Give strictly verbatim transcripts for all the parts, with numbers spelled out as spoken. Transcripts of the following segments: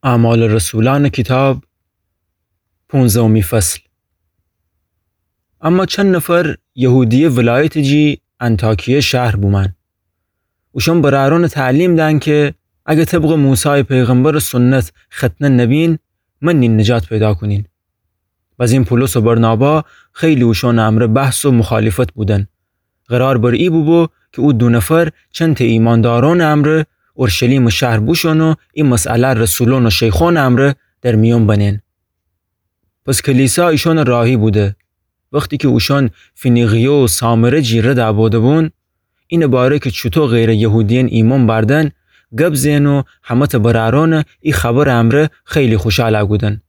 اعمال رسولأنٚ کیتاب، پونزدهمی فصل. اما چند نفر یهودیه ولایتٚ جی انطاکیه شهر بومأن. اوشأن برأرأنٚ تعلیم دأن که اگر طبقٚ موسای پیغمبرٚ سنت ختنه نبین، منین نجات پیدا کونین. بزین پولس و برنابا خیلی اوشأنٚ امرأ بحث و مخالفت بودن. قرار بر ای بوبو که او دو نفر چندتأ ایماندارأنٚ امرأ اورشلیمٚ شهر بوشون و ای مسئله رسولأن و شیخأنٚ امرأ در میون بنین. پس کلیسا ایشأنٚ راهی بوده. وختی که اوشأن فنیقیه و سامره جی رد بوده‌بون، اینٚ باره که چوطو غیرٚ یهودیأن ایمأن بأردن، گب زئن و همه‌تأ برأرأنٚ ای خبرٚ امرأ خیلی خوشحال کودن.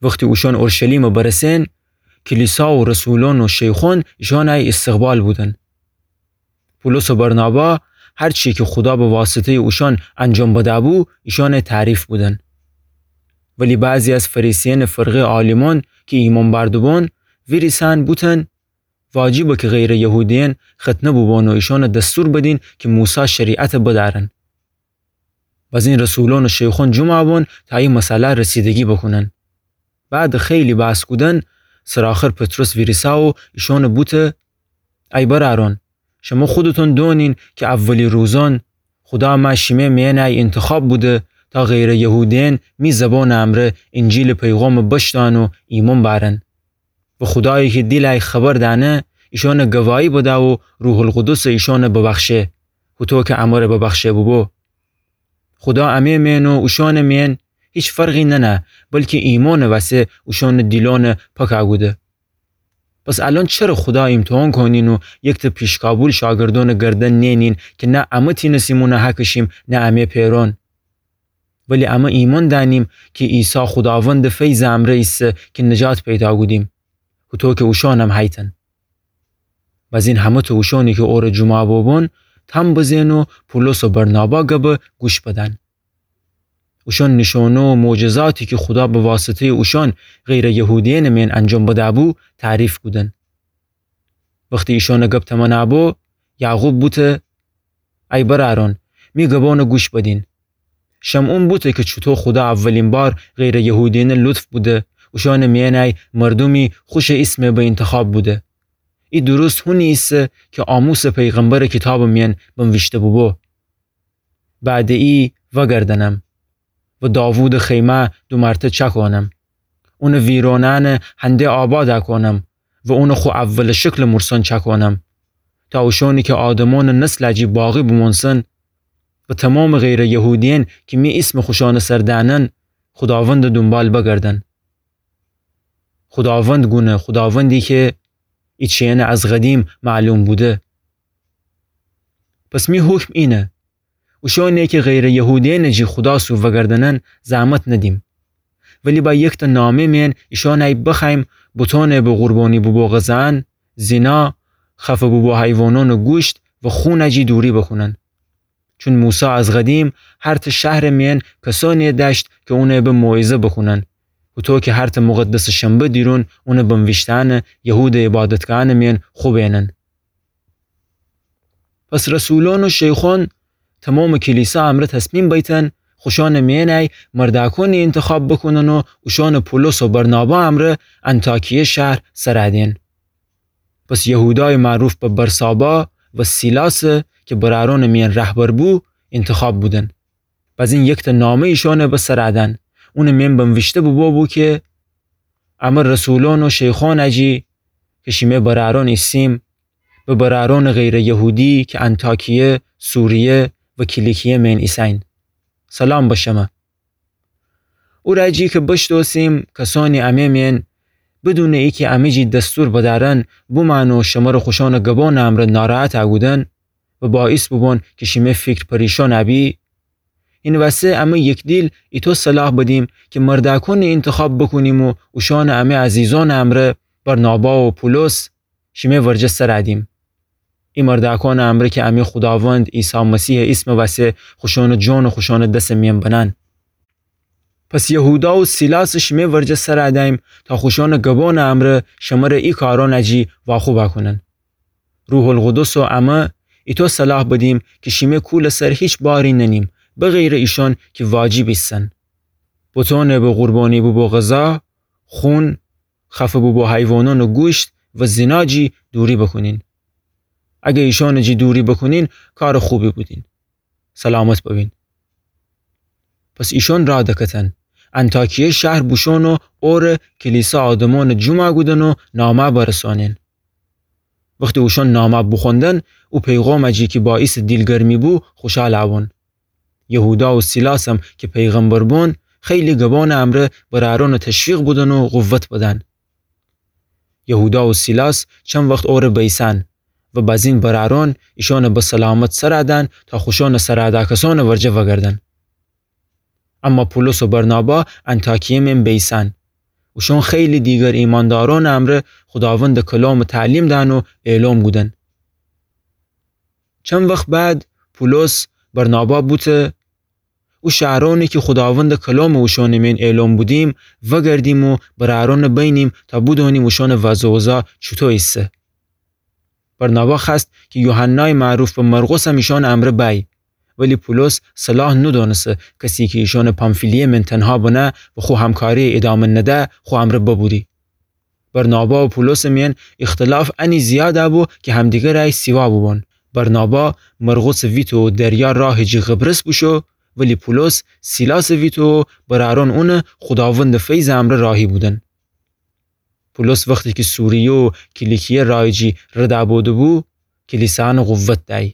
وختی اوشأن اورشلیمٚ برسئن، کلیسا و رسولأن و شیخأن ایشأنٚ استقبال بودن. پولس و برنابا هر چی که خودا به واسطه‌یٚ اوشأن انجام بده‌بو، ایشأنٚ تعریف بودن. ولی بعضی از فریسیأنٚ فرقه‌یٚ عالیمأن که ایمأن بأرده‌بون، ویریسأن بوتن واجبه که غیرٚ یهودیأن ختنه بوبون و ایشأنٚ دستور بدین که موسی شریعت بدأرن. بزین رسولأن و شیخأن جمع بون تا ای مسئله رسیدگی بوکونن. بعدٚ خیلی بحث کودن، سرٚ آخر پطرس ویریسه و ایشأن بوته: ای برأرأن، شمه خودتون دونین که اولی روزأن خودا مه شیمه میأن انتخاب بوده تا غیرٚ یهودیأن می زبانٚ امرأ انجیلٚ پیغامٚ بشنون و ایمأن بأرن. و خودایی که دیلٚ ای خبر دأنه، ایشأن گواهی بده و روح‌القدس ایشأن ببخشه، هوطو که امرأ ببخشه بوبو. خودا امه میأن و اوشأنٚ میأن هیچ فرقی نأنه، بلکی ایمأنٚ وسه اوشأنٚ دیلأن پاک کوده. پس الأن چره خودا ایمتحان کونین و یکتأ پیشکابول شاگردأنٚ گردن نئنین که نه امه تینستیم اون هکشیم، نه امه پئرأن؟ ولی امه ایمأن دأنیم که عیسی خوداوندٚ فیضٚ امرأ ایسه که نجات پیدا کودیم، هوطو که اوشأنم هیتن. بزین همه‌تأ اوشأنی که اوره جمع بوبون تام بزئن و پولس و برنابا گبه گوش بدن. اوشأن نیشأنه و معجزاتی که خودا به واسطه‌یٚ اوشأن غیرٚ یهودیأنٚ میأن انجام بده‌بو تعریف کودن. وختی ایشأنٚ گب تمنا بو، یعقوب بوته: ای برأرأن، می گبأن گوش بدین. شمعون بوته که چوطو خودا اولین بار غیرٚ یهودیأن لطف بوده، اوشأنٚ میأن ای مردومی خوشٚ ایسمه به انتخاب بوده. ای درست هونی ایسه که آموسٚ پیغمبرٚ کیتابٚ میأن بنویشته بوبو: بعدٚ ای وأگردنم و داوودٚ خیمه دو مرته چأکونم. اونٚ ویرانأنٚ هنده آباد کونم و اونٚ خو اولٚ شکلٚ مورسأن چأکونم، تا اوشأنی که آدمأنٚ نسلٚ جی باقی بومونسن و تومامٚ غیرٚ یهودیأن که می ایسمٚ خوشأنٚ سر دأنن، خوداوندٚ دونبال بگردن. خوداوند گونه، خوداوندی که ای چیأن از قدیم معلوم بوده. پس می حکم اینه: اوشأنی که غیرٚ یهودیأنٚ جی خودا سو وأگردنن زحمت ندیم، ولی با یکتأ نامه میأن ایشأنٚ ای بخوأییم بتأنٚ به قربانی بوبو غذأن، زینا، خفه بوبو حیوانأنٚ گوشت و خونٚ جی دوری بوکونن. چون موسی از قدیم هرتأ شهرٚ میأن کسأنی دأشت که اونٚ به موعظه بوکونن، هوطو که هرتأ مقدسٚ شنبه دیرون اونٚ بنویشتأنٚ یهودٚ عبادتگاهأنٚ میأن خوبینن. پس رسولأن و شیخأن تومامٚ کلیسا امرأ تصمیم بیتن خوشأنٚ میأن ای مردأکأنی انتخاب بوکونن و اوشأن پولس و برنابا امرأ انطاکیه شهر سر دئن. پس یهودایٚ معروف به برسابا و سیلاس که برأرأنٚ میأن رهبر بو، انتخاب بودن. بزین یکتأ نامه ایشأنٚ به سر دأن. اونٚ میأن بنویشته بوبو بو که: امه رسولأن و شیخأنٚ جی که شیمه برأرأن ایسیم، به برأرأنٚ غیرٚ یهودی که انطاکیه، سوریه و کیلیکیه میأن ایسین، سلام به شمه. او رأ جی که بشتوسیم کسأنی امه میأن بدونٚ ای که امه جی دستور بدأرن بومأن و شمره خوشأنٚ گبأنٚ امرأ ناراحت کودن و باعث بوبون که شیمه فیکر پریشأن بی، هینٚ وسه امه یکدیل ایطو صلاح بدیم که مردأکأنی انتخاب بوکونیم و اوشأنٚ امه عزیزأنٚ امرأ برنابا و پولس شیمه ورجه سر دیم. ای مردأکأنٚ امرأ که امه خوداوند عیسی مسیحٚ ایسمٚ وسه خوشأنٚ جان و خوشأنٚ دسٚ میأن بنن. پس یهودا و سیلاس شیمه ورجه سر دیم تا خوشأنٚ گبأنٚ امرأ شمره ای کارأنٚ جی واخوب کونن. روح‌القدس و امه ایطو صلاح بدیم که شیمه کولٚ سر هیچ باری ننیم، بغیرٚ ایشأن که واجب ایسن. بتأنٚ به قربانی بوبو غذا، خون، خفه بوبو حیوانأنٚ گوشت و زینا جی دوری بکونین. اگه ایشأنٚ جی دوری بکونین، کارٚ خوبی بودین. سلامت ببین. پس ایشأن راه دکتن. انطاکیه شهر بوشون و اوره کلیسا آدمأنٚ جمع کودن و نامه برسانین. وختی اوشأن نامه بوخوندن، او پیغامٚ جی کی باعیسٚ دیلگرمی بو، خوشحال بون. یهودا و سیلاسم کی پیغمبر بون، خیلی گبأنٚ امرأ برأرأنٚ تشویق بودن و قوت بدن. یهودا و سیلاس چند وخت اوره بیسن و بزین برأرأن ایشأنٚ به سلامت سر دن تا خوشأنٚ سرادکسأنٚ ورجه وگردن. اما پولس و برنابا انطاکیه مئن بیسن. اوشأن خیلی دیگر ایماندارأنٚ امرأ خوداوندٚ کلامٚ تعلیم دن و اعلام کودن. چند وخت بعد پولس برنابا بوته، او شهرأنی کی خوداوندٚ کلام اوشأنٚ مئن اعلام بودیم، وگردیم و برأرأن بینیم تا بودأنیم اوشأنٚ وضع و اوضاع چوطو ایسه. برنابا خوأست کی یوحنای معروف به مرقسم ایشأنٚ امرأ بأی، ولی پولس صلاح نودأنسه کسی کی ایشأنٚ پامفیلیه مئن تنها بنه و خو همکاری ایدامه نده خو امرأ ببوری. برنابا و پولسٚ مئن اختلاف انی زیاد بو کی همدیگر ره سیوا بوبون. برنابا مرقسٚ ویتو و دریا راهٚ جی قبرس بوشو، ولی پولس سیلاسٚ ویتو و برأرأن اونٚ خوداوندٚ فیضٚ امرأ راهی بودن. پولس وختی کی سوریه و کیلیکیه راهٚ جی رد بوده‌بو، کلیسایأنٚ قوت دأی.